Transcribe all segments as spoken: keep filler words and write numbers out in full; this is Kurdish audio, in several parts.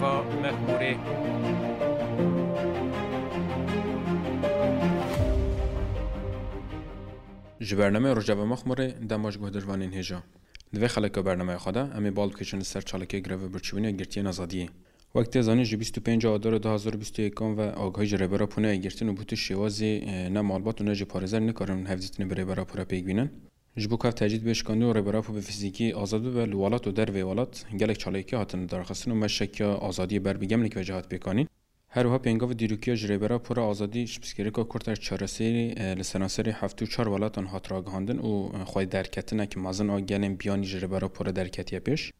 Mexmûrê. Ji bernameya Rojava Mexmûrê dema ji guhdirvanên hêja. Di vê xeleka bernameya xwe de em ê bal bikêşin li ser çalakiyê greva birçîbûnê ya girtiyên azadiyê. Wek tê zanîn, ji bîst û pênc Adara du hazar û bîst û yek ve agahî ji Rêber Apo neyê girtin û bi tu şêwazî, e, ne malbat û ne jî parêzer nikarin hevdîtinê bi Rêber Apo re pêk bînin. Ji bo ku ev tecrîd bê şikandin û Rêber Apo bi fizîkî azad bibe li welat û derveyî welat, gelek çalakî hatin lidarxistin û me şekiya azadiyê ber bi Gemlîk ve jî hat pêkanîn. Her wiha pêngava dîrokiya ji Rêber Apo re azadî ji pirsgirêka Kurd re çareserî, e, li seranserê heftê û çar welatan hat ragihandin û, e, xwedî derketineke mezin a gelên biyanî ji Rêber Apo re derketiye pêş.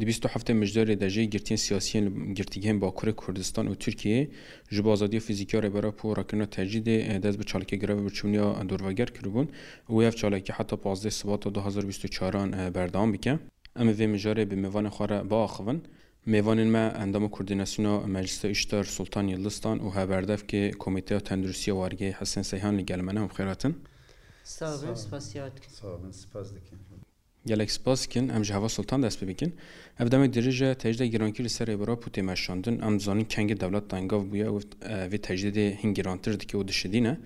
Di bîst û heftê Mijdarê de jî girtiyên siyasî yên li girtîgehên Bakurê Kurdistan û Tirkiyeyê ji bo azadiya fizîkî ya Rêber Apo û rakirina tecrîdê, e, dest bi çalakî greva birçîbûnê ya dorveger kiribûn û wê ev çalakî heta pazdeh Sibata du hazar bîst û çaran, e, berdewam bike. Em ê vê mijarê bi mêvanên xwe re biaxivin. Mêvanên me endama Koordînasyona Meclisa Îştar Sultan Yildistan û hevberdevkê Komîteya Tenduristiya Wargehê Hesen Seyhan li gel me ne. Hûn bi xêr hatin. Sağ olun, spasiya dikim. Sağ olun, spas dikim. Gelek spas dikin. Em ji Heva Sultan dest pê bikin. Ev demek dirêj e, tecrîda girankî li ser Rêber Apo tê meşandin. Em dizanin kengê dewlet tengav bûye û, e, vê tecrîdê hîn girantir dike û dişidîne.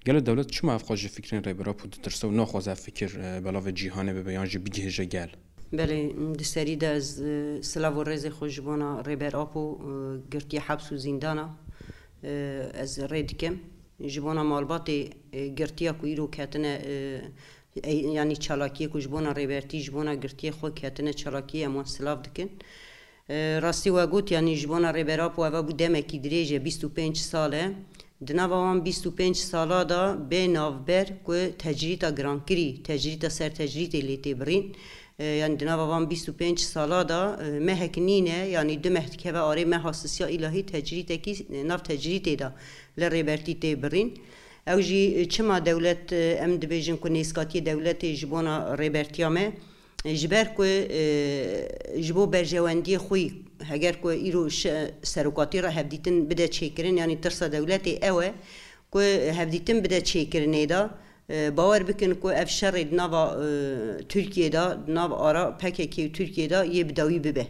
Gelo dewlet çima ev qas ji fikrên Rêber Apo ditirse û naxwaze ev fikir, e, belavê cîhanê bibe yan jî bigihêje gel? Belê, di serî de ez, e, silav û rêzê xwe ji bona Rêber Apo, e, girtiye heps û zîndana, e, ez rê dikim. Ji bona malbatê, e, girtiya ku îro ketine, e, e, yanî çalakiyê ku ji bona Rêbertî, ji bona girtiyê xwe ketine çalakiyê, em wan silav dikin. E, rastî we got, yanî ji bona Rêber Apo eva bû demekî dirêj e, bîst û pênc sal e. Di nava wan bîst û pênc sala de bê navber ku tecrîta girankirî, tecrîta ser tecrîtê lê tê birîn. E, yanî di nava van bîst û pênc sala de, e, mehek nîne, yanî du meh dikeve arê meha sisiya îlahî tecrîtekî, e, nav tecrîtê de li Rêbertî tê birîn. Ew jî, e, çima dewlet, e, em dibêjin ku nêzkatiyê dewletê ji bona Rêbertiya me, e, ji ber ku, e, ji bo berjewendiyê xwe, heger ku îro şi-, serokatî re hevdîtin bide çêkirin, yanî tirsa dewletê ew e ku hevdîtin bide çêkirinê de, e, bawer bikin ku ev şerê di nava, e, Tirkiyê de, di nav ara P K K û Tirkiyê de yê bi dawî bibe.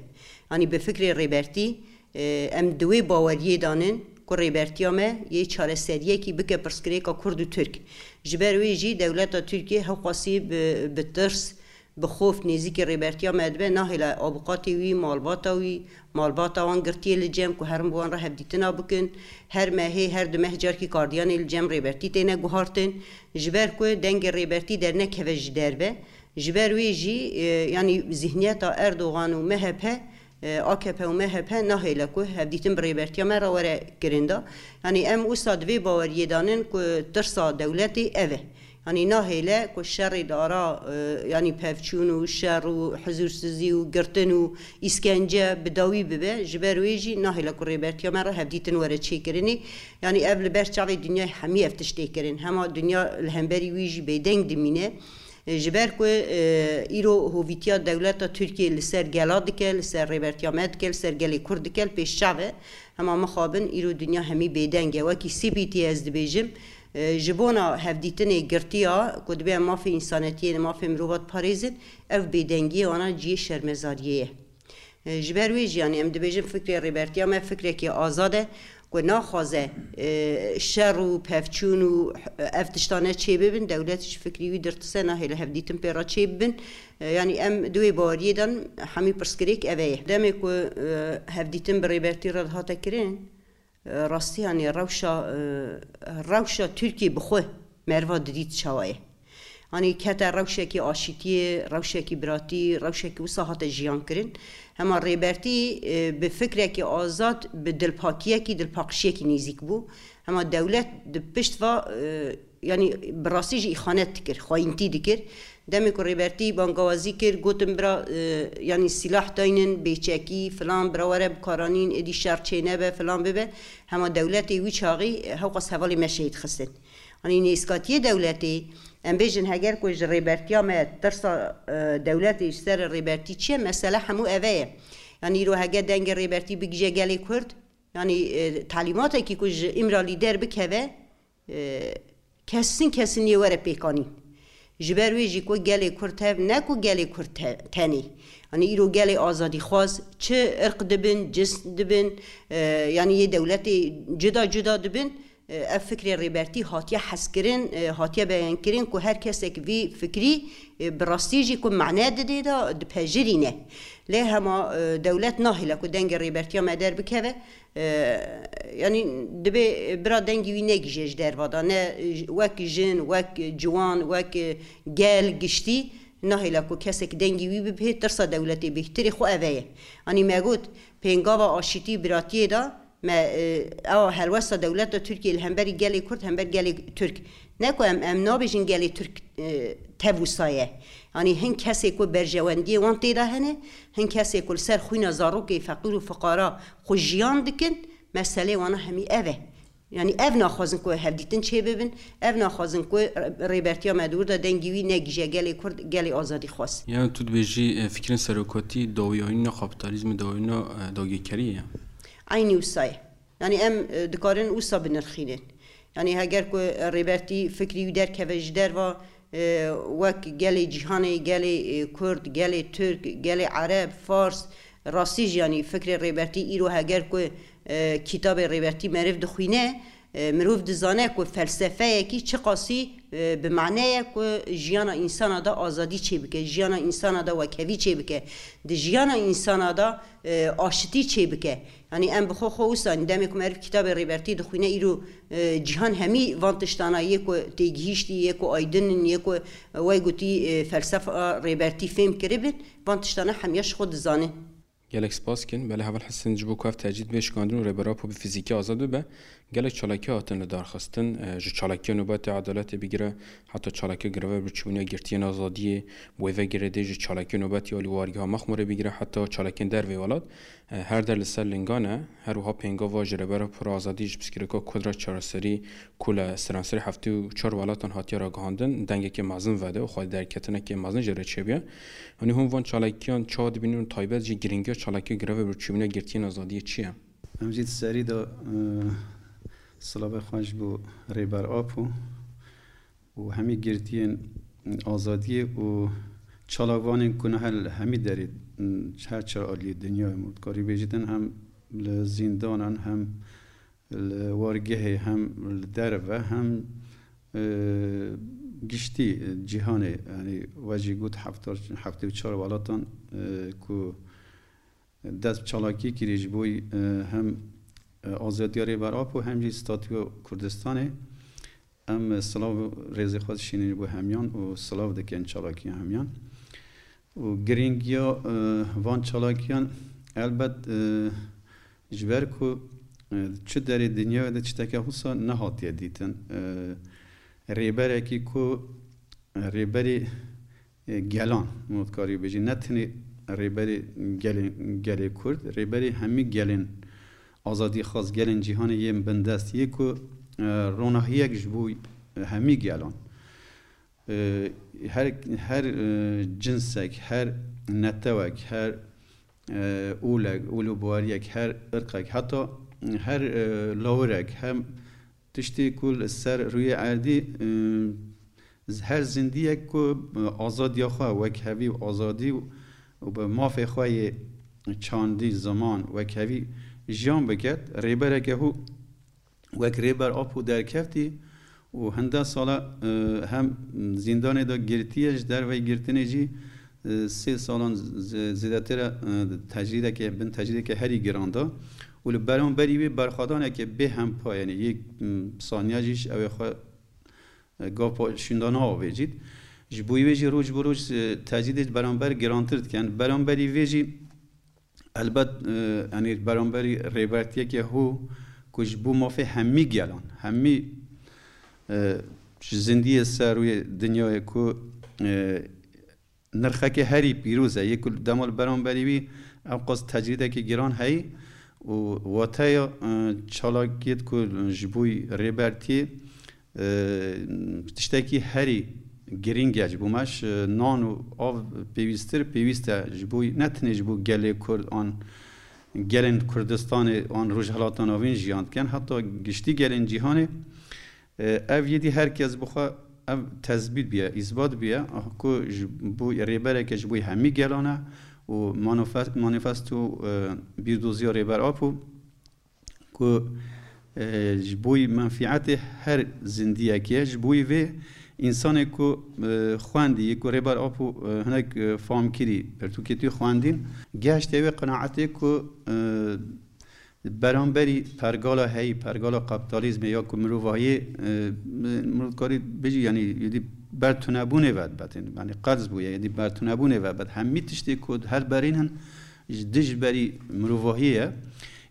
Yanî bi fikrê Rêbertî, e, em di wê baweriyê de nin ku Rêbertiya me yê çareseriyekî bike pirsgirêka Kurd û Tirk. Ji ber wê jî dewleta Tirkiyê hewqasî bi, bi tirs, bi xof nêzîkî Rêbertiya me dibe, nahêle abuqatê wî, malbata wî, malbata wan girtiyê li cem ku herin bi wan re hevdîtina bikin. Her mehê, her du meh carkî kardiyanê li cem Rêbertî têne guhartin. Ji ber ku dengê Rêbertî dernekeve ji derve. Ji ber wê jî, e, yanî zihniyeta Erdogan û M H P, e, A K P û M H P nahêle ku hevdîtin bi Rêbertiya me re were kirin de. Yanî em wisa di vê baweriyê de nin ku tirsa dewletê ev e. Yanî nahêle ku şerê di ara, e, yanî pevçûn û şer û hizûrsizî û girtin û îskence bi dawî bibe, ji ber wê jî nahêle ku Rêbertiya me re hevdîtin were çêkirinê. Yanî ev li ber çavê dinyayê hemî ev tişt tê kirin. Hema dinya li hemberî wî jî bêdeng dimîne. E, ji ber ku, e, îro hovîtiya dewleta Tirkiyê li ser gela dike, li ser Rêbertiya me dike, li ser gelê Kurd dike, li pêş çav e. Hema mixabin îro dinya hemî bêdeng e. Wekî C P T ez dibêjim, e, ji bona hevdîtinê girtiya ku dibe em mafê însanetiyê, mafê mirova diparêzin, ev bêdengiyê wana cihê şermezariyê ye. E, ji ber wê jî, yanî em dibêjin fikrê Rêbertiya me fikrekî azad e, ku naxwaze, e, şer û pevçûn û ev tiştane çêbibin, dewlet ji fikrî wî dirtise, nahêle hevdîtin pê re çêbibin. E, yanî em di wê baweriyê de nin, hemî pirsgirêk ev e ye. Demê ku, e, hevdîtin bi Rêbertî re dihate kirin, e, rastî, yanî rewşa, e, rewşa Tirkiyê bi xwe meriva didît çawa ye. Yanî kete rewşekî aşîtiyê, rewşekî biratî, rewşekî wisa hate jiyan kirin. Hema Rêbertî, e, bi fikrekî azad, bi dilpakiyekî, dilpaqişiyekî nêzîk bû. Hema dewlet di pişt va, e, yanî bi rastî jî îxanet dikir, xayîntî dikir. Demê ku Rêbertî bangawazî kir, gotin bira, e, yanî sîlah daynin, bêçekî, filan, bira were bikaranîn, êdî şer çênebe, filan bibe. Hema dewletê wî çaxî, e, hewqas hevalê me şehîd xistin. Yanî nêzkatiyê dewletê, em bêjin heger ku ji Rêbertiya me tirsa, e, dewletê ji ser Rêbertî çi ye, mesele hemû eve ye. Yanî îro heger dengê Rêbertî bigije gelê Kurd, yanî, e, talîmatekî ku ji Îmralî derbikeve, e, kesin kesin yê were pêkanîn. Ji ber wê jî ku gelê Kurd hev ne ku gelê Kurd te-, tenê. Yanî îro gelê azadîxwaz çi irq dibin, cins dibin, e, yanî yê dewletê cuda cuda dibin, e, ev fikrê Rêbertî hatiye hezkirin, e, hatiye beyankirin ku her kesek vî fikrî, e, bi rastî jî ku mane didê de dipejirîne. Lê hema, e, dewlet nahêle ku dengê Rêbertiya me derbikeve, e, yanî dibê bira dengî wî negihîje ji derva de, ne wek jin, wek ciwan, wek gel giştî nahêle ku kesek dengî wî bibihê, tirsa dewletê bihtirê xwe eve ye. Yanî me got, pêngava aşîtî û biratiyê de me, e, ewa helwesta dewleta Tirkiyê li hemberî gelê Kurd, hember gelê Tirk. Ne ku em, em nabêjin gelê Tirk, e, tev wisa ye. Yanî hin kesê ku berjewendiyê wan tê de hene, hin kesê ku li ser xwîna zarokê feqîr û fiqara xwe jiyan dikin, meselê wana hemî ev e. Yanî ev naxwazin ku hevdîtin çêbibin, ev naxwazin ku rê-, rêbertiya me di wir de dengî wî negihîje gelê Kurd, gelê azadîxwaz. Yani tu dibêjî, e, fikrên serokatî dawiyayîna kapîtalîzmê, dawiyayîna, e, dagirkeriyê ye. Eynî wisa ye. Yanî em, e, dikarin wisa binirxînin. Yanî heger ku, e, Rêbertî fikrî wî derkeve ji derva, e, wek gelê cîhanê, gelê, e, Kurd, gelê Tirk, gelê Ereb, Fars, rastî jî yanî fikrê Rêbertî îro heger ku, e, kitabê Rêbertî meriv dixwîne, e, mirov dizane ku felsefeyekî çiqasî, e, bi mane ye ku jiyana însana de azadî çêbike, jiyana însana de wekhevî çêbike, di jiyana însana de, e, aşitî çêbike. Yanî em bi xwe xwe wisa, demê ku meriv kitabê Rêbertî dixwîne, îro, e, cîhan hemî van tiştana yê ku têgihîştî, yê ku aydin in, yê ku, e, wey gotî, e, felsefa Rêbertî fêm kiribin, van tiştana hemiya ji xwe dizanin. Gelek spas kin. Belê heval Hesen ji bo ku ev tecrîd bê şikandin û Rêber Apo bi fizîkî azad bibe, gelek çalakî hatin li dar xistin. E, ji çalakiya Nobetê Edaletê bigire, heta çalakiya greva birçîbûna girtiyên azadiyê, wê ve girêdê ji çalakiya Nobetê alî wargeha Mexmûrê bigire, heta çalakiyên dervê welat. E, her der li ser lingan e. Her wiha pêngava ji Rêber Apo re azadî ji pirsgirêka Kurd re çareserî ku li seranserê heftê û çar welatan hatiye ragihandin, dengekê mezin vede û xwedî derketinekê mezin jê re çêbûye. Yanî hûn van çalakiyan çawa dibînin û taybet jî giringiya çalakiya greva birçîbûna girtiyên azadiyê çi ye? Em jî di serî de, e, silavê xwe ji bo Rêber Apo û hemî girtiyên azadiyê û çalakvanên ku niha li hemî derê, her çar aliyê dinyayê, me dikarî bêjîtin, hem li zîndanan, hem li wargehê, hem li derve, hem, e, giştî cîhanê, yanî we jî got hefta, heftê û çar welatan, e, ku dest çalakî kirî ji bo, e, hem, e, azadiya Rêber Apo hem jî statûya Kurdistanê. Em, e, silav û rêzê xwe dişînin ji bo hemiyan û silav dikin çalakiya hemiyan. Û girîngiya, e, van çalakiyan elbet, e, ji ber ku, e, çi derê dinyayê de tişteke wisa nehatiye dîtin. E, rêberekî ku, e, rêberî e, gelan, me dikarî bêjî, ne tenê rêberê gelê, gelê Kurd, rêberê hemî gelên azadîxwaz, gelên cîhanê yên bindest yê ku, e, ronahiyek ji bo, e, hemî gelan. E, her, her, e, cinsek, her netewek, her, e, olek, ol û baweriyek, her irqek, heta her, e, lawirek, hem tiştê ku li ser rûyê erdî, e, her zindiyek ku, e, azadiya xwe, wekhevî û azadî û bi mafê xwe yê çandî, ziman, wekhevî jiyan biket, rêbereke hû wek Rêber Apo derkeftî û hinde sala, e, hem zîndanê de girtiye, ji derveyî girtinê jî, e, sê salan z-, zêdetir e, e, tecrîdeke, bin tecrîdeke herî giran da û li beramberî wê berxwedaneke bê hempa, yanî yê, m, saniya jî ji ew ê xwe, e, gav pa şûnda naavêjît. Ji bo wê jî roj bi roj, e, tecrîdê ji beramber girantir dikin. Beramberî vê jî elbet, e, yanî beramberî rêbertiyeke hû ku ji bo mafê hemî gelan, hemî, e, ji zindiyê ser rûyê dinyayê ku, e, nirxeke herî pîroz e, yê ku dema li beramberî wî ewqas tecrîdekî giran heyî û wateya, e, çalakiyêt ku ji bo Rêbertiyê, e, tiştekî herî girîng e ji bo me, ji nan û av pêwîstir, pêwîst e ji bo, ne tenê ji bo gelê Kurd an gelên Kurdistanê an Rojhilata Navîn jiyan dikin, heta giştî gelên cîhanê. E, ev yêdî her kes bi xwe ev tesbît bûye, îsbat bûye, ku ji bo rêbereke ji bo hemî gelan e û manifest-, manifesto, e, bîrdoziya Rêber Apo ku, e, ji bo menfîetê her zindiyekê ye, ji bo vê însanê ku, e, xwendî, yê ku Rêber Apo, e, hinek, e, famkirî, pirtûkê tû xwendîn, gehiştiye wê qenaetê ku, e, beramberî pergala heyî, pergala kapitalizmê ya ku mirovahiyê, e, mirov dikarî bijî, yanî êdî ber tunebûnê ve dibetên, yanî qerz bûye, êdî ber tunebûnê ve bet. Hemî tiştê ku her berîn hin ji dij berî mirovahiyê ye.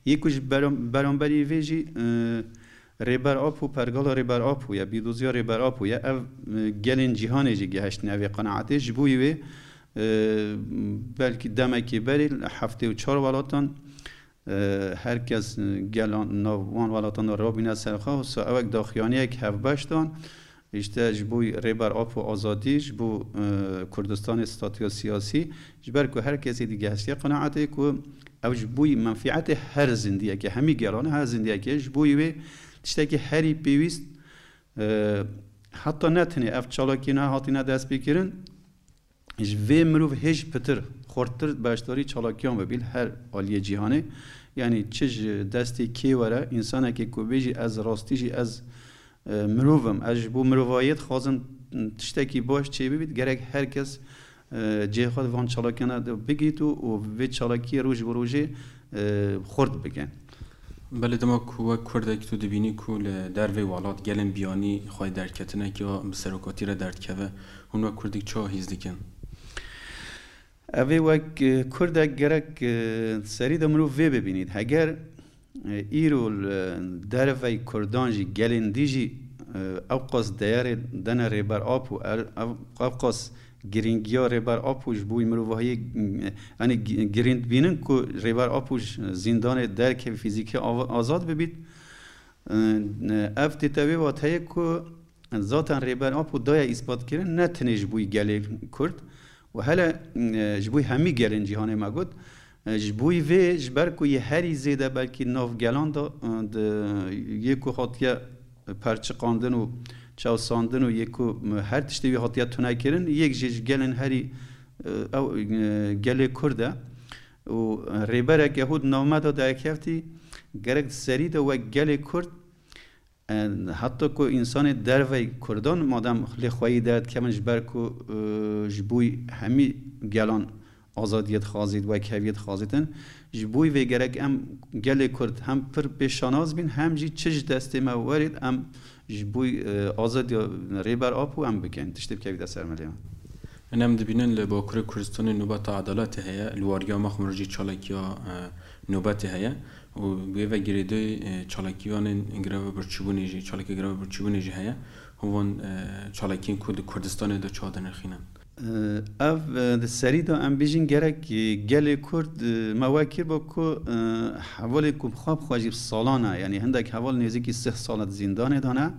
Yê ku ji beram-, beramberî vê jî, e, Rêber Apo, pergala Rêber Apo ye, bîrdoziya Rêber Apo ye. Ev, e, gelên cîhanê jî gehiştine vê qenaetê. Ji bo wê, e, belkî demekê berê li heftê û çar welatan, e, her kes, e, gelan nav wan welatan de rabîne ser xwe, wisa ewek daxuyaniyek hevbeş dan, îşte ji bo Rêber Apo azadî, ji bo, e, Kurdistanê statuya siyasî, ji ber ku her kesê digehiştiye qenaetê ku ew ji bo menfîetê her zindiyekê, hemî gelan e, her zindiyekê, ji bo wê tiştekî herî pêwîst, e, heta ne tenê ev çalakî ne hatine destpêkirin, ji vê mirov hêj pitir, xurttir beşdarî çalakiyan bibî li her aliyê cîhanê. Yanî çi ji destê kê were, însanekê ku bêjî ez rastî jî ez, e, mirov im, ez ji bo mirovahiyê dixwazim tiştekî baş çêbibît, gerek her kes, e, cihê xwe di van çalakiyan de bigît û, û vê çalakiyê roj bi rojê, e, xurt bikin. Belê, dema ku wek Kurdek tu dibînî ku li dervê welat gelên biyanî xwedî derketineke ya bi serokatî re derdikeve, hûn wek Kurdek çawa hîs dikin? Ev ê wek, e, Kurdek gerek, e, serî de mirov vê bibînît. Heger, e, îro li dervey Kurdan jî gelên dî jî, e, ewqas deyerê dene Rêber Apo, er-, ev-, ewqas girîngiya Rêber Apo ji bo mirovahiyê, e, yanî gi-, girîng dibînin ku Rêber Apo ji zîndanê derkeve fîzîkî av-, azad bibît. E, ev tê te wê wateyê ku zaten Rêber Apo daye îsbatkirin ne tenê ji bo gelê Kurd û hele, e, ji bo hemî gelên cîhanê me got. E, ji bo vê, ji ber ku yê herî zêde belkî nav gelan de, e, di, yê ku hatiye perçiqandin û çewsandin û yê ku, e, her tiştê wî hatiye tunekirin, yek jê ji gelên herî, e, ew, e, gelê Kurd e. Û rêbereke hû di nav me de derkeftî, gerek di serî de wek gelê Kurd, e, heta ku însanê dervey Kurdan madem lê xweyî derdikevin ji ber ku, e, ji bo hemî gelan azadiyê dixwazît, wekheviyê dixwazîtin, ji bo vê gerek em gelê Kurd hem pir pê şanaz bîn, hem jî çi ji destê me werêt em ji bo, e, azadiya Rêber Apo em bikin. Tiştê bikevîte ser me lê. Em dibînin li Bakurê Kurdistanê nobeta edaletê heye, li wariya Mexmûr jî çalakiya, e, nobetê heye û wê ve girêdayî, e, çalakiyanên greva birçîbûnê jî, çalakê greva birçîbûnê jî heye. Hûn van, e, çalakiyên ku di Kurdistanê de çawa dinirxînin? E, ev, e, di serî de em bêjin gerek, e, gelê Kurd, e, me wekir bo ku, e, hevalê ku xwe bi xwe jî bi salan e, yanî hindek heval nêzîkî sih sal e di zîndanê de ne.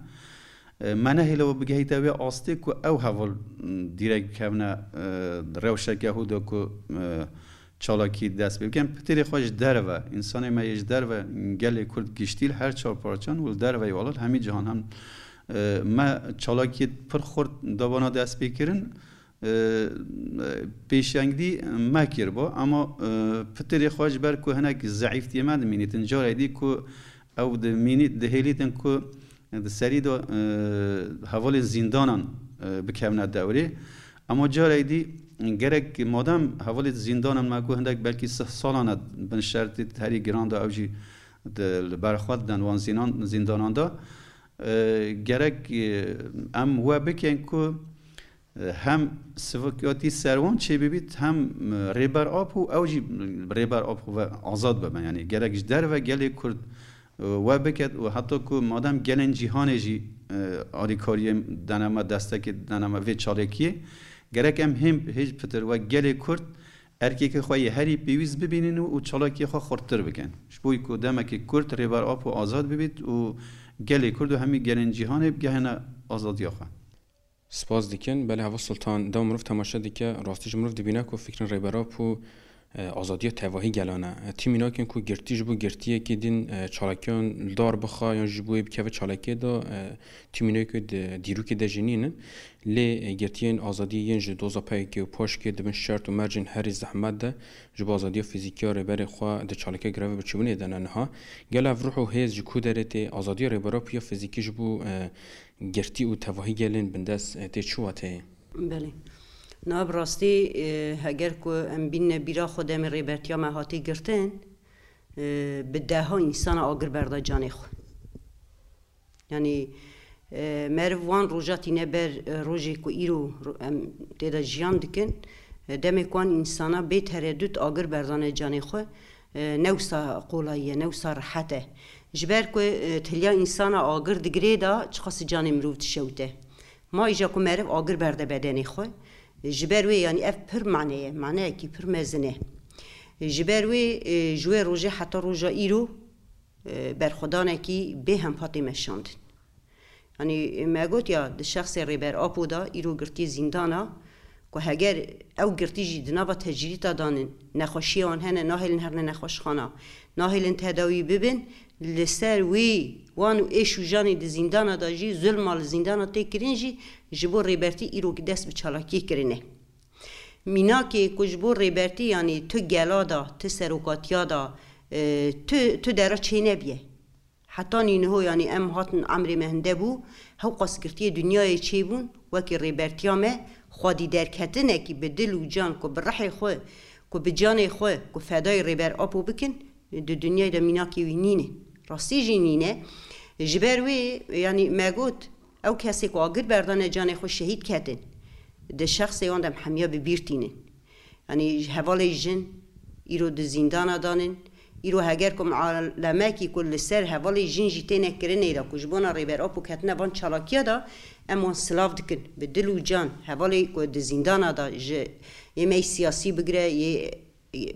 E, me nehêle we bigehîte wê astê ku ew heval, m, dîrek bikevine, e, rewşeke hû de ku, e, çalakî dest pê bikin. Pitirê xwe ji derve, însanê me yê ji derve gelê Kurd giştî li her çar parçan û li derveyî welat hemî cihan hem, e, me çalakiyê pir xurt dabana dest pê kirin. E, pêşengdî me kiribo, ama, e, pitirê xwe ji ber ku hinek zeîftiyê me dimînîtin, carê dî ku ew dimînî-, dihêlîtin ku di serî de, e, hevalên zîndanan, e, bikevine dewrê. Ama carê dî gerek madem hevalê zîndanan me ku hindek belkî sih salan e bin şertê herî giran de ew jî di, li ber xwe diden wan zînan-, zîndanan de, e, gerek, e, em we bikin ku, e, hem sivikatî ser wan çêbibît, hem, e, Rêber Apo, ew jî Rêber Apo ve azad bibe. Yanî gerek ji derve gelê Kurd, e, we biket û heta ku madem gelên cîhanê jî, e, alîkariyê dene me, destekê dene me vê çalakiyê, gerek em hêm hêj pitir wek gelê Kurd erkekê xwe yê herî pêwîst bibînin û, û çalakiyê xwe xurttir bikin. Ji bo ku demekê Kurd Rêber Apo azad bibît û gelê Kurd û hemî gelên cîhanê bigehine azadiya xwe. Spas dikin. Belê, Heval Sultan, dew mirov temaşe dike, rastî jî mirov dibîne ku fikrên Rêber Apo e, azadiya tevahî gelan e. E, tî mînakên ku girtî ji bo girtiyekê din, e, çalakiyan li dar bixa yan ji bo wê bikeve çalakiyê de, e, tî mînakê di dîrokê de jî nînin. Lê, e, girtiyên azadiyê yên ji doza P Y K û PAJKê di bin şert û mercên herî zehmet de ji bo azadiya fîzîkî ya rêberê xwe di çalakê greva birçîbûnê de ne niha. Gel ev ruh û hêz ji ku derê tê? Azadiya Rêber Apo ya fîzîkî ji bo, e, girtî û tevahî gelên bindest, e, tê çi wateyê? Belê. Na bi rastî, e, heger ku em bînine bîra xwe demê Rêbertiya me hatî girtin, e, bi deha însana agir berda canê xwe. Yanî, e, meriv wan roja tîne ber, e, rojê ku îro ro-, em tê de jiyan dikin, e, demê ku wan însana bê teredût agir berdane canê xwe, e, ne wisa qolayî ye, ne wisa rehet e. Ji ber ku, e, tiliya însana agir digirê de çiqas canê mirov dişewite. Ma îja ku meriv agir berde bedenê xwe, ji ber wê, yanî, ev pir mane ye, maneyekî pir mezin e. Ji ber wê, e, ji wê rojê heta roja îro, e, berxwedanekî bê hempa tê meşandin. Yanî, me got ya, di şexsê Rêber Apo de îro girtî zîndan a, ku heger ew girtî jî di nava tecrîta danin, nexweşiyê wan hene, nahêlin herine nexweşxana, nahêlin tedawî bibin, li ser wî wan û êş û janê di zîndana de jî, zulma li zîndana tê kirin jî, ji bo Rêbertî îro dest bi çalakiyê kirine. Mînakê ku ji bo Rêbertî, yanî tu gela da, tu serokatiya da, e, tu, tu dera çênebiye. Heta nîniho, yanî em hatin emrê me hinde bû, hewqas girtiyê dinyayê çêbûn, wekî Rêbertiya me, xwedî derketinekî bi dil û can ku bi rihê xwe, ku bi canê xwe, ku fedayê Rêber Apo bikin, di dinyayê de mînakê wî nîne. Rastî jî nîne. Ji ber wê, yanî me got, ew kesê ku agir berdane canê xwe şehîd ketin, di şexsê wan de em hemiya bi bîr tînin. Yanî hevalê jin îro di zîndana danin. Îro heger ku mualemekî ku li ser hevalê jin jî têne kirinê de ku ji bona Rêber Apo ketine van çalakiya de, em wan silav dikin. Bi dil û can hevalê ku di zîndana de ji yê me yê siyasî bigire, yê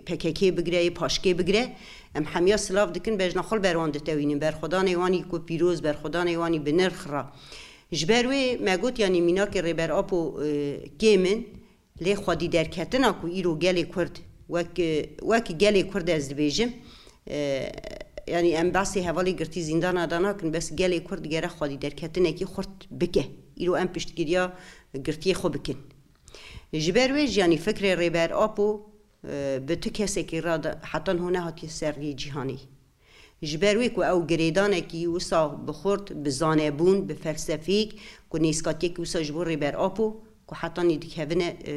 P K K bigire, yê PAJKê bigire, em hemiya silav dikin, bejna xwe li ber wan ditewînin, berxwedanê wan î ku pîroz, berxwedanê wan î bi nirx re. Ji ber wê me got, yanî mînakê Rêber Apo, e, kêm in, lê xwedî derketina ku îro gelê Kurd wek, e, wek gelê Kurd ez dibêjim, e, yanî em behsê hevalê girtî zîndana de nakin, bes gelê Kurd digere xwedî derketinekî xurt bike. Îro em piştgiriya girtiyê xwe bikin. Ji ber wê jî, yanî fikrê Rêber Apo, e, bi tu kesekî re de heta niho nehatiye ser riyê cîhanê. Ji ber wê ku ew girêdanekî wisa bi xurt, bi zanebûn, bi felsefîk, ku nêzkatiyekî wisa ji bo Rêber Apo, ku heta nî dikevine, e,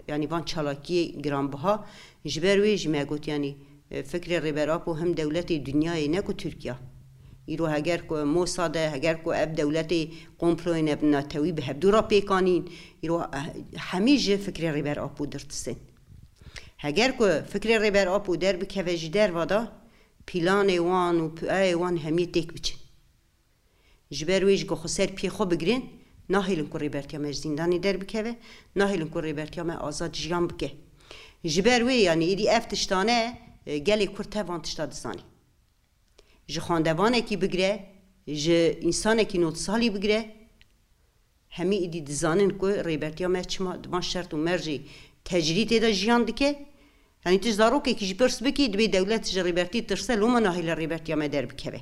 yanî van çalakiyê giranbiha. Ji ber wê jî me got, yanî, e, fikrê Rêber Apo him dewletê dinyayê ne ku Tirkiya. Îro heger ku Mossad e, heger ku ev dewletê komployên ev netewî bi hevdû re pêk anîn, îro, e, hemî ji fikrê Rêber Apo dirtisên. Heger ku fikrê Rêber Apo derbikeve ji derva de, pîlanê wan û piyayê wan hemiyê têk biçin. Ji ber wê jî ku xwe ser piyê xwe bigirin, nahêlin ku Rêbertiya me ji zîndanê derbikeve, nahêlin ku Rêbertiya me azad jiyan bike. Ji ber wê, yanî êdî ev tiştane, e, gelê Kurd tev van tişta dizanî. Ji xwendevanekî bigire, ji însanekî nod salî bigire, hemî êdî dizanin ku Rêbertiya me çima di van şert û mercê tecrîtê de jiyan dike. Yanî tu ji zarokekî jî pirs bikî, dibê dewlet ji Rêbertî tirse, loma nahêle Rêbertiya me derbikeve.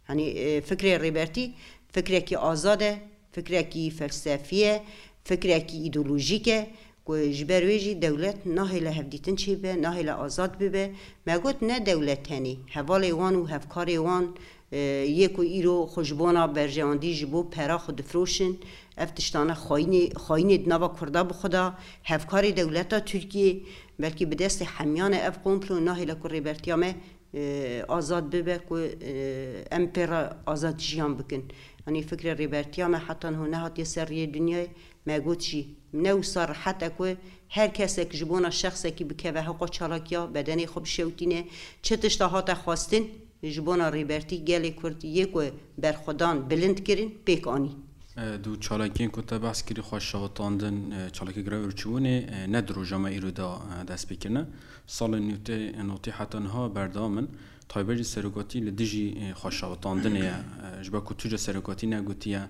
Yanî, e, fikrê Rêbertî fikrekî azad e, fikrekî felsefî ye, fikrekî îdeolojîk e, ku ji ber wê jî dewlet nahêle hevdîtin çêbibe, nahêle azad bibe. Me got ne dewlet tenê, hevalê wan û hevkarê wan, e, yê ku îro xwe ji bona berjewendî ji bo pera xwe difiroşin, ev tiştane xayînê, xayînê di nava Kurda bi xwe de, hevkarê dewleta Tirkiyê, belkî bi destê hemiyan e ev komplo, nahêle ku Rêbertiya me e, azad bibe, ku, e, em pê re azad jiyan bikin. Yanî fikrê Rêbertiya me heta niho nehatiye ser riyê dinyayê. Me got jî, ne wisa rehet e ku her kesek ji bona şexsekî bikeve hewqa çalakiya, bedenê xwe bişewtîne. Çi tişta hate xwestin ji bona Rêbertî, gelê Kurd yê ku berxwedan bilind kirin, pêk anî. E, di çalakiyên ku te behs kirî xwe şewitandin, e, çalakî greva birçîbûnê, e, ne di roja me îro de, e, dest pê kirine. Salên newtê, notî heta niha berdewam in. Taybet jî serokatî li dijî, e, xwe şewitandinê ye. E, ji ber ku tu jî serokatî negotiye,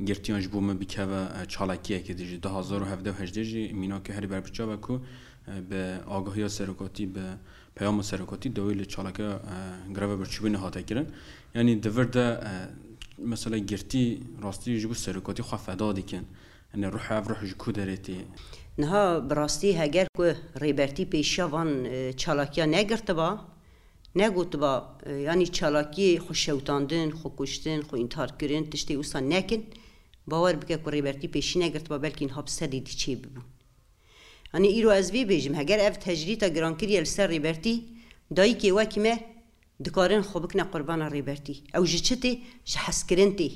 girtiyan ji bo min bikeve, e, çalakiyekê dijî. Du hazar û hevdeh û hejdeh jî mînakê herî berbiçav e ku, e, bi agahiya serokatî, bi peyama serokatî dawî li çalakiya, e, greva birçîbûnê hate kirin. Yanî di vir de, e, mesela girtî rastî ji bo serokatî xwe feda dikin. Yanî ruh ev ruh ji ku derê tê? Niha bi rastî heger ku Rêbertî pêşiya van, e, çalakiya negirtiba, negotiba, e, yanî çalakiyê xwe şewitandin, xwe kuştin, xwe întihar kirin, tiştê wisa nekin, bawer bike ku Rêbertî pêşî negirtiba, belkî niha bi sedê dî çê bibû. Yanî îro ez vê bêjim, heger ev tecrîta girankirî ye li ser Rêbertî, dayikê wekî me dikarin xwe bikine qurbana Rêbertî. Ew ji çi tê? Ji hezkirin tê.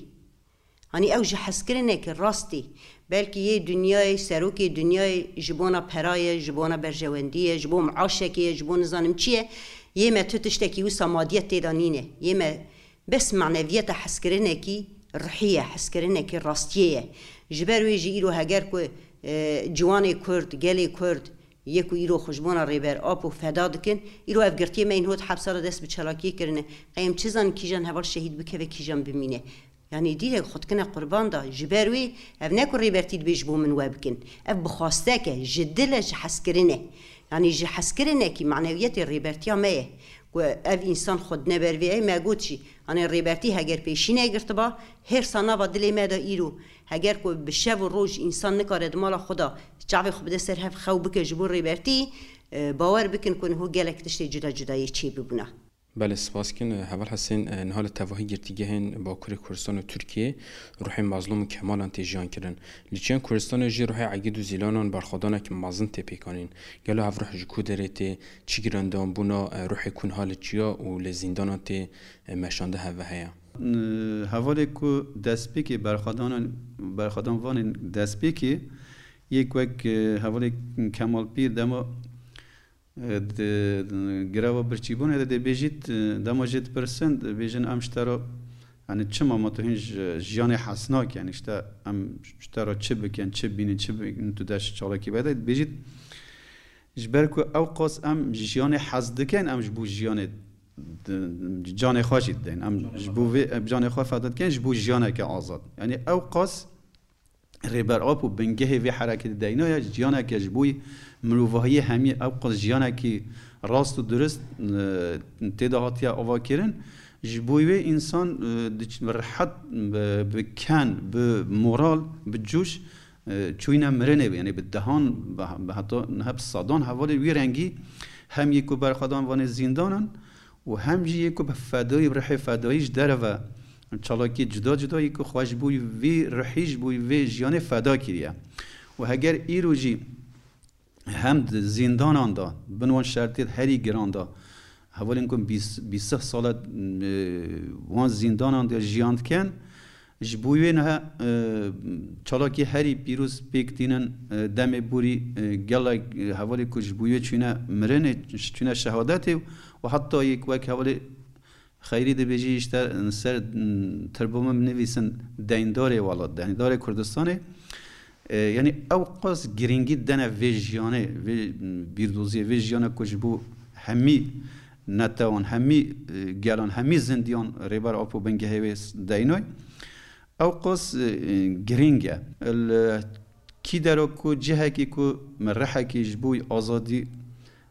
Hanî ew ji hezkirinekî rast tê. Belkî yê dinyayê, serokê dinyayê ji bona pera ye, ji bona berjewendî ye, ji bo miaşekê ye, ji bo nizanim çi ye. Yê me tu tiştekî wisa madiyet tê de nîne. Yê me bes maneviyeta hezkirinekî ruhî ye, hezkirinekî rastiyê ye. Ji ber wê jî îro heger ku, e, ciwanê Kurd, gelê Kurd, yê ku îro xwe ji bona Rêber Apo feda dikin, îro ev girtiyê me yên hot hepsa de dest bi çalakiyê kirine. Qey em çi zanin kîjan heval şehîd bikeve, kîjan bimîne. Yanî dîrek xwe dikine qurban da. Ji ber wê ev ne ku Rêbertî dibê ji bo min we bikin. Ev bi xwastek e, ji dil e, ji hezkirin e. Yanî ji hezkirinekî manewiyetê Rêbertiya me ye. Ku ev însan xwe dine ber vê, ey me got jî, hanê Rêbertî heger pêşî negirtiba, hêrsa nava dilê me de îro, heger ku bi şev û roj însan nikare di mala xwe de çavê xwe bide ser hev xew bike ji bo Rêbertî, e, bawer bikin ku niho gelek tiştê cuda cuda yê çê bibûna. Belê, spas dikin. Heval Hesên, e, niha li tevahî girtîgehên Bakurê Kurdistan û Tirkiyê ruhê Mazlûm û Kemalan tê jiyan kirin. Li Çiyên Kurdistanê jî ruhê Egîd û Zîlanan berxwedanek mezin tê pêkanîn. Gelo ev ruh ji ku derê tê? Çi girandanbûna, e, ruhê ku niha li Çiya û li zîndanan tê, e, meşande heve heye? N-, hevalê ku destpêkê berxwedanan, berxwedan vanên destpêkê yek wek, e, hevalê Kemal Pîr dema, e, di, di greva birçîbûnê de dê bêjît, e, dema jê dipirsin, dibêjin, em ji te re, yani çima ma tu hîn ji, jiyanê hez nakî, yani işte em ji te re çi bikin, çi bînin, çi bikin, tu dest çalakî vede, dibêjît, ji ber ku ew qas em ji jiyanê hez dikin, em ji bo jiyanê di, canê xwe jî didin. Em ji bo vê, em canê xwe feda dikin, ji bo jiyaneke azad. Yani ew qas Rêber Apo bingehê vê hereketê deyna ye, jiyaneke ji bo mirovahiyê hemî ew qas jiyanekî rast û durist, e, tê de hatiye avakirin. Ji bo wê însan, e, diç-, rehet, bi, bi ken, bi moral, bi coş, e, çûyne mirinê, yani bi dehan, bi, bi heta niha bi sedan hevalên wî rengî hem yê ku berxwedan vanê zîndanan û hem jî yê ku bi fedayî, bi rihê fedayî ji derve çalakiyê cuda cuda yê ku xwe ji bo vî rihî, ji bo vê jiyanê feda kiriye. Û heger îro jî hem di zîndanan de, bin wan şertiyê herî giran de, hevalên ku bîst, bîst sal e, wan zîndanan de jiyan dikin, ji bo wê niha, e, çalakî herî pîroz pêk tînin, e, demê borî, e, gelek, e, hevalê ku ji bo wê çûne mirinê, çûne şehadetê û heta yek wek hevalê Xeyrî dibêjî, işte, ser, m, tirbo min binivîsin deyndarê welat, deyndarê Kurdistanê. E, yani ew qas girîngî dene vê jiyanê, vê, m, bîrdoziyê, vê jiyana ku ji bo hemî netewan, hemî, e, gelan, hemî zindiyan Rêber Apo bingehê wê s-, deynoy. Ew qas, e, e, girîng e. Li kî dero ku cihekî ku me rihekî ji bo azadî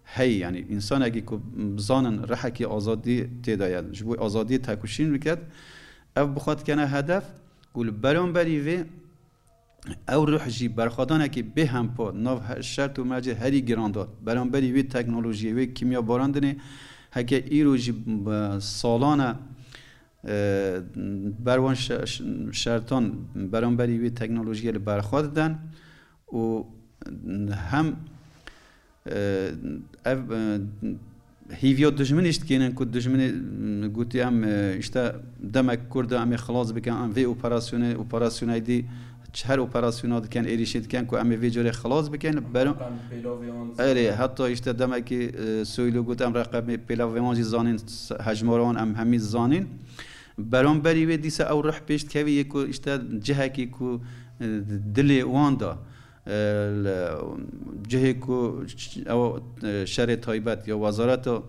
heye, yani însanekî ku bizanin rihekî azadî tê de ye, ji bo azadiyê tekoşîn biket, ev bi xwe dikene hedef û li beramberî vê ew ruh jî berxwedanekî bêhempa nav he-, şert û mercê herî giran de, beramberî wê teknolojiyê, wê kîmya barandinê, heke îro jî b-, salan e, e, ber wan şe-, ş-, şertan beramberî wê teknolojiyê li ber xwe diden û hem, e, ev, e, hîviya dijminî jî dikênin ku dijminê, m, gotî em, e, işte demek Kurda em ê xilas bikin, em vê operasyonê, operasyonê dî her operasyona dikin, êrîşê dikin ku em ê vê carê xilas bikin. Beram-, Em pêlavê wan erê, heta işte demekî, e, Soylu got, em reqemê pêlavê wan jî zanîn, s-, hejmara wan em hemî zanîn. Beramberî wê dîsa ew ruh pêş dikevî yê ku işte cihekî ku, e, dilê wan da, e, li cihê ku ş-, ew, e, şerê taybet ya wezareta,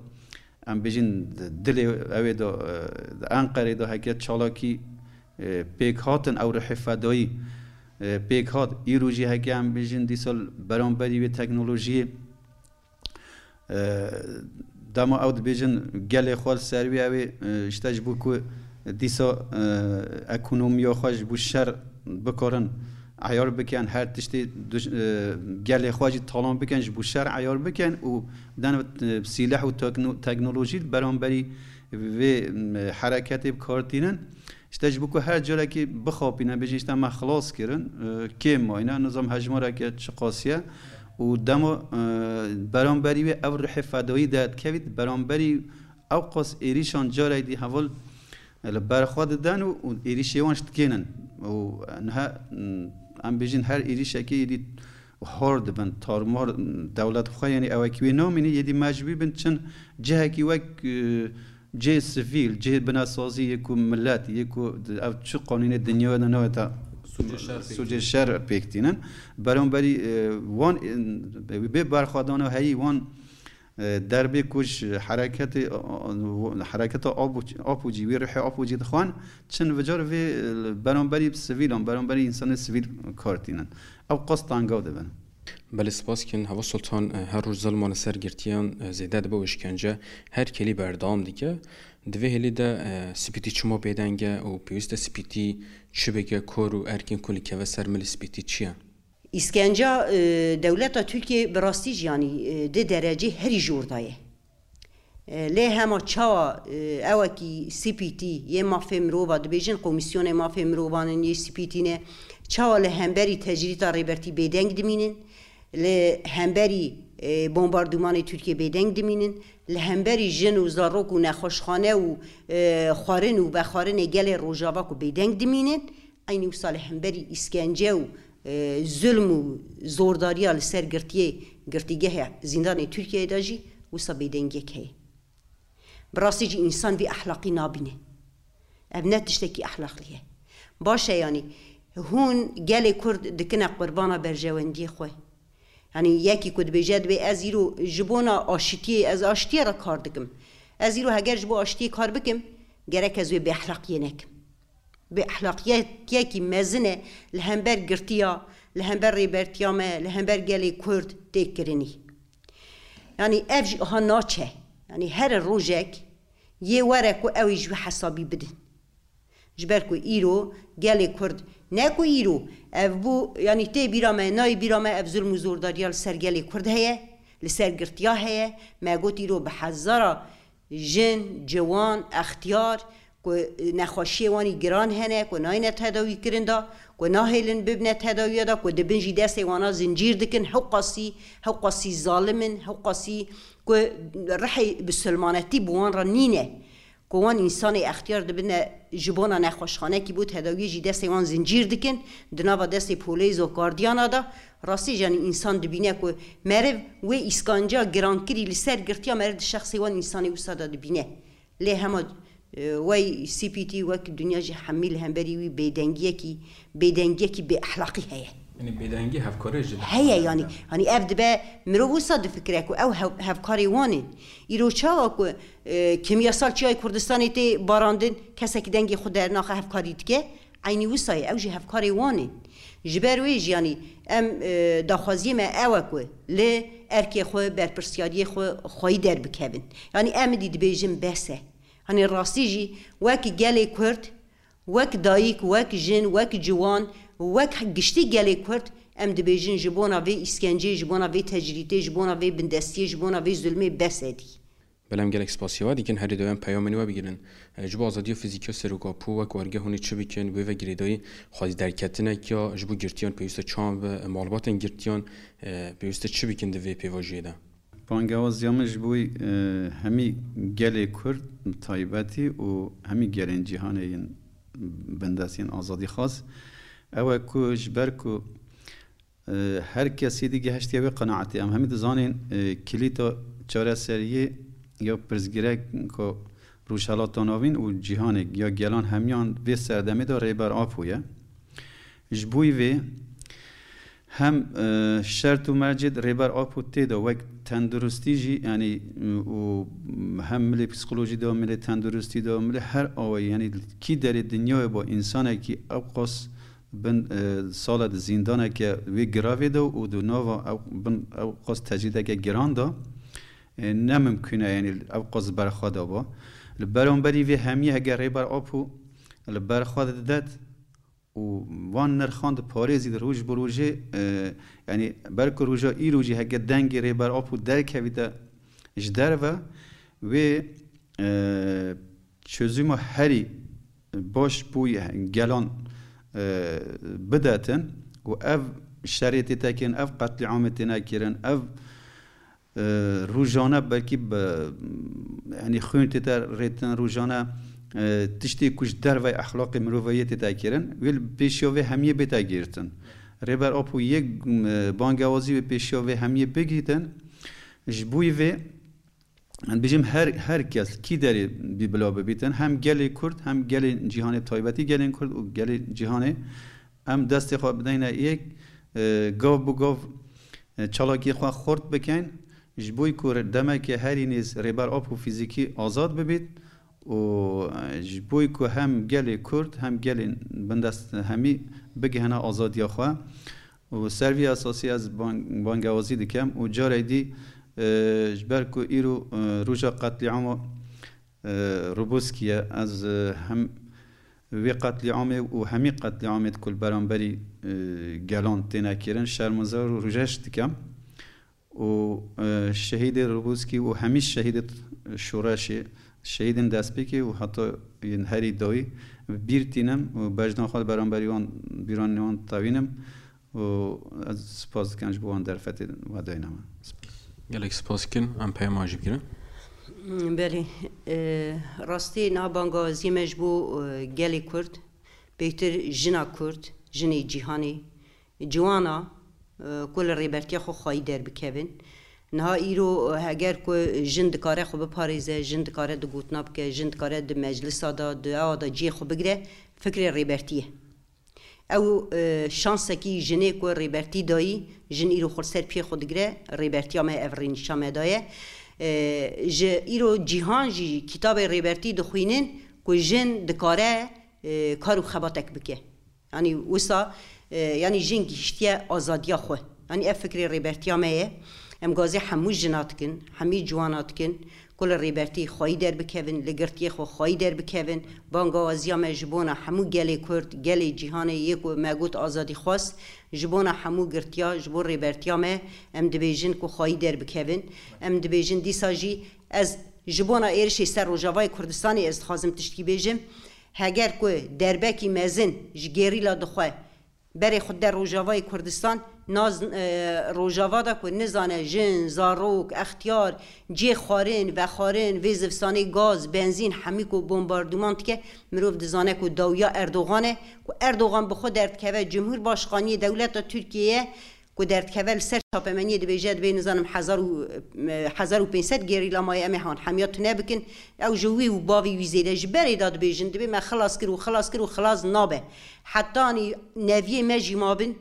em bêjin, dilê ew ê da, e, Enqerê da heke çalakî E, pêk hatin ew rihê fedayî, e, pêk hat. Îro jî heke em bêjin dîsa li beramberî wê teknolojiyê, e, dema ew dibêjin gelê xwe li ser wî ew ê, e, işte ji bo ku dîsa, e, ekonomiya xwe ji bo şer bikarin eyar bikin, her tiştê duş-, e, gelê xwe jî talan bikin, ji bo şer eyar bikin û den, e, sîleh û tekno-, teknolojî li beramberî vê, e, hereketê bi kar tînin. Îşte ji bo ku her carekî bixapîne, bêjin îşte me xilas kirin, e, kêm mayne, nizam hejmareke çiqasî ye û dema, e, beramberî wê ev rihê fedayî derkevît, beramberî ew qas êrîşan carek dî heval, e, li ber xwe diden û, û êrîşê wan ji dikênin. Û niha, m, em bêjin her êrîşekê êdî hor dibin, tarmar, dewlet xwe, yanî ewekî wê namîne, êdî mecbûr bin çin cihekî wek, e, cihê sivîl, cihê binesazî yê ku milet, yê ku di-, ev çi qanûnê dinyayê de nayê te sûcê şer pêk sûcê şer pêk tînin. Beramberî, e, wan, e, bê berxwedana heyî wan, e, derbê ku ji hereketê, hereketa Apo-, Apocî, wî rihê Apocî dixwan, çin vicar vê, e, beramberî sivîlan, beramberî însanê sivîl kar tînin. Ew qas tengav dibin. Belê, spas dikin. Heval Sultan, e, her roj zilma li ser girtiyan, e, zêde dibe û îşkence her kelî berdewam dike. Di vê hêlî de, e, spîtî çima bêdeng e û pêwîst e spîtî çi bike, kor û erkên ku li keve ser milê spîtî çi ye? Îskenca, e, dewleta Tirkiyê bi rastî jî, yanî, e, di derecê herî jor de ye. E, lê hema çawa, e, ewekî spîtî yê mafê mirova dibêjin, komîsyonê mafê mirovan in yê spîtî ne, çawa li hemberî tecrîta Rêbertî bêdeng dimînin, li hemberî, e, bombardûmanê Tirkiyê bêdeng dimînin, li hemberî jin û zarok û nexweşxane û, e, xwarin û vexwarinê gelê Rojava ku bêdeng dimînin, eynî wisa li hemberî îskence û, e, zulm û zordariya li ser girtiyê, girtîgehê zîndanê Tirkiyeyê de jî wisa bêdengiyek heye. Bi rastî jî însan vî ehlaqî nabîne. Ev ne tiştekî ehlaqlî ye. Baş e, yanî hûn gelê Kurd dikine qurbana berjewendiyê xwe. Yanî yekî ku dibêje, dibê ez îro ji bona aşitiyê, ez aşitiyê re kar dikim. Ez îro heger ji bo aşitiyê kar bikim, gerek ez wê bêehlaqiyê nekim. Bêehlaqiyetiyekî mezin e li hember girtiya, li hember rêbertiya me, li hember gelê Kurd tê kirinî. Yanî ev jî aha naçe. Yanî here rojek yê were ku ew ê ji wî hesabî bidin. Ji ber ku îro gelê Kurd, ne ku îro, ev bû, yanî tê bîra me, nayê bîra me ev zulm û zordariya li ser gelê Kurd heye, li ser girtiya heye. Me got îro bi hezara jin, ciwan, extiyar, ku nexweşiyê wan î giran hene, ku nayne tedawî kirin de, ku nahêlin bibine tedawiya de, ku dibin jî destê wana zincîr dikin, hewqasî, hewqasî zalim in, hewqasî ku rihê bisilmanetî bi wan re nîne, ku wan însanê extiyar dibine ji bona nexweşxanekî bo tedawiyê jî destê wan zincîr dikin, di nava destê polêz û gardiyana de, rastî jî, yanî însan dibîne ku meriv wê îskanca girankirî li ser girtiya meriv di şexsê wan însanê wisa de dibîne. Lê hema, e, wey C P T wek dinya jî hemî li hemberî wî bêdengiyekî, bêdengiyekî bêehlaqî heye. Yanî bêdengî hevkarê ji heye, yanî, yanî ev dibe mirov wisa difikire ku ew hev-, hevkarê wan in. Îro çawa ku, e, kimyasal çiyayê Kurdistanê tê barandin, kesekî dengê xwe dernaxe, hevkarî dike, eynî wisa ye, ew jî hevkarê wan in. Ji ber wê jî, yanî em, e, daxwaziyê me ew e ku li erkê xwe, berpirsiyariyê xwe xweyî derbikevin. Yanî em dî dibêjin bes e. Hanî rastî jî wek gelê Kurd, wek dayik, wek jin, wek ciwan, wek giştî gelê Kurd, em dibêjin ji bona vê îskenceyê, ji bona vê tecrîtê, ji bona vê bindestiyê, ji bona vê zulmê bes e dî. Belê, em gelek spasiya we dikin, herî dawî em peyamên we bigirin. E, ji bo azadiya fizîkî ya Serok Apo wek wergeh hûn ê çi bikin, wê ve girêdayî xwedî derketinek ya ji bo girtiyan pêwîst e çawan be, e, malbatên girtiyan, e, pêwîst e çi bikin di vê pêvajoyê de? Bangewaziya min ji bo, e, hemî gelê Kurd bi taybetî û hemî gelên cîhanê yên bindest yên azadîxwaz, ew e ku ji ber ku, e, her kesî digihiştiye wê qenaetê. Em hemî dizanin, e, kilîta çareseriyê ya pirsgirêka Rojhelata Navîn û cîhanê ya gelan hemiyan vê serdemê de Rêber Apo ye. Ji bo vê Hem, e, şert û mercê Rêber Apo tê de wek tenduristî jî, yanî, û hem milê psîkolojî de, milê tenduristî de, milê her awayî, yanî kî derê dinyayê bo însanekî ewqas bin, e, sala di zîndaneke wê giravê de û di nava ew, bin ewqas tecrîdeke giran de, e, ne mimkûn e, yanî ewqas berxwe de bo. Li beramberî vê hemiyê hege Rêber Apo li berxwe didet, û van nirxan diparêzî di roj bi rojê, e, yanî belku roja îro jî heke dengê Rêber Apo derkevîte ji derve, wê, e, çözüma herî baş bo gelan, e, bidetin û ev şerê tê tekirin, ev qetlîamê têne kirin, ev e, rojane belkî bi, yanî xwîn tête rêtin, rojane, e, tiştê ku ji dervey exlaqê mirovayê tête kirin, wê li pêşiya vê hemiyê bête girtin. Rêber Apo yê, e, bangewazî wê pêşiya vê hemiyê bigihîtin. Ji bo vê, em dibêjim her, her kes kî derê bî bila bibîtin, hem gelê Kurd, hem gelê cîhanê, taybetî gelên Kurd û gelê cîhanê, em destê xwe bideyne yek, e, gav bi gav, e, çalakiyê xwe xurt bikin, ji bo ku demeke herî nêz Rêber Apo fîzîkî azad bibît û, e, ji bo ku hem gelê Kurd hem gelên bindest hemî bigihine azadiya xwe. Û ser vî esasî ez ban-, bangewazî dikim û carê dî, e, ji ber ku îro, e, roja qetlîama, e, Roboskî ye, ez, e, hem wê qetlîamê û hemî qetlîamêd ku li beramberî, e, gelan têne kirin şermezar û rûjeş dikim. Û, e, şehîdê Roboskî û hemî şehîdê şoreşê, şehîdên destpêkê û heta yên herî dawî bi bîr tînim û bejna xwe li beramberî wan, bîranên wan tewînim û ez spas dikim ji bo wan derfetê we dayne me. Gelek spas dikin, em peyama jî bigirin. Belê, e, rastî niha bangaziyê me ji bo, e, gelê Kurd, pêktir jina Kurd, jinê cîhanê, ciwana, e, ku li rêbertiya xwe xwayî derbikevin. Niha îro, e, heger ku jin dikare xwe biparêze, jin dikare di gotina bike, jin dikare di meclisa de, di awa de cihê xwe bigire, fikrê rêbertî ye. Ew, e, şansekî jinê ku rêbertî dayî, jin îro xwe li ser piyê xwe digire, rêbertiya me ev rênişa me daye. E, ji îro cîhan jî kitabê rêbertî dixwînin ku jin dikare, e, kar û xebatek bike. Yanî wisa, e, yanî jin gihiştiye azadiya xwe. Yanî ev fikrê rêbertiya me ye. Em gazê hemû jina dikin, hemî ciwana dikin, ku li rêbertî xwayî derbikevin, li girtiyê xwe xwayî derbikevin. Bangawaziya me ji bona hemû gelê Kurd, gelê cîhanê yê ku me got azadîxwaz, ji bona hemû girtiya, ji bo rêbertiya me, em dibêjin ku xwayî derbikevin. Em dibêjin dîsa jî ez ji bona êrişê ser Rojavayê Kurdistanê ez dixwazim tiştkî bêjim. Heger ku derbekî mezin ji gerîla dixwe berê xwe der Rojavayê Kurdistan, naz, e, Rojava de ku nizane jin, zarok, extiyar, cihê xwarin, vexwarin, vê zivistanê gaz, benzîn, hemî ku bombarduman dike, mirov dizane ku dawiya Erdogan e, ku Erdogan bi xwe derdikeve Cumhurbaşkaniyê dewleta Tirkiyeyê, ku derdikeve li ser çapemeniyê dibêje, dibê nizanim hezar û, hezar û pênc sed gerîla maye, em ê han hemiya tune bikin. Ew ji wî û bavê wî zêde ji berê de dibêjin, dibê me xilas kir û xilas kir û xilas nabe. Hetanî neviyê me jî mabin,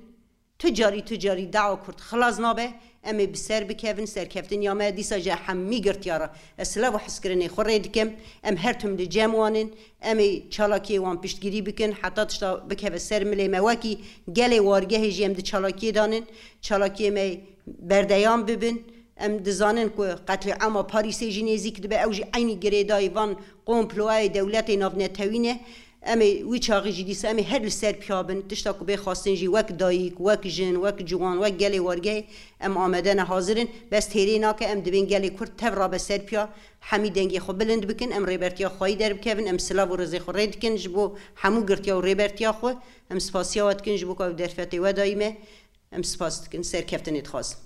tu carî, tu carî dawa Kurd xilas nabe. Em ê bi ser bikevin, serkeftiniya me dîsa ji hemî girtiya re. Ez silav û hizkirinê xwe rê dikim. Em her tim li cem wan in. Em ê çalakiyê wan piştgirî bikin, heta tişta bikeve ser milê me. Wekî gelê wargehê jî em di çalakiyê de nin. Çalakiyê me berdeyam bibin. Em dizanin ku qetlîama Parîsê jî nêzîk dibe. Ew jî eynî girêdayî van komployê dewletê navnetewî ne. Em ê wî çaxî jî dîsa em ê her li ser piya bin. Tişta ku bê xwestin jî wek dayik, wek jin, wek ciwan, wek gelê wargehê em amade ne, hazir in. Bes têrê nake, em dibên gelê Kurd tev rabe ser piya. Hemî dengê xwe bilind bikin, em rêbertiya xweyî derbikevin, em silav û rêzê xwe rê dikin ji bo hemû girtiya û rêbertiya xwe. Em spasiya we dikin ji bo ku ew derfetê we dayî me. Em spas dikin, serkeftinê dixwazin.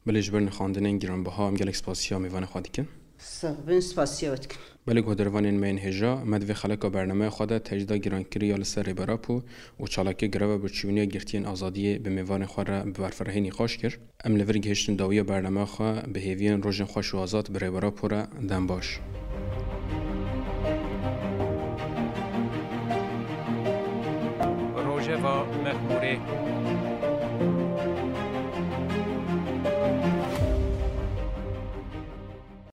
Belê, ji ber nirxandinên giranbiha em gelek spasiya mêvanê xwe dikin. Sax bin, spasiya we dikin. Belê, guhdarvanên me yên hêja, me di vê xeleka bernameya xwe de tecrîda girankirî ya li ser Rêber Apo û çalakiya greva birçîbûniya girtiyên azadiyê bi mêvanê xwe re bi berfirehî nîqaş kir. Em li vir gihiştin dawiya bernameya xwe, bi hêviyên rojên xweş û azad bi Rêber Apo re. Dem baş. Rojeva Mexmûrê.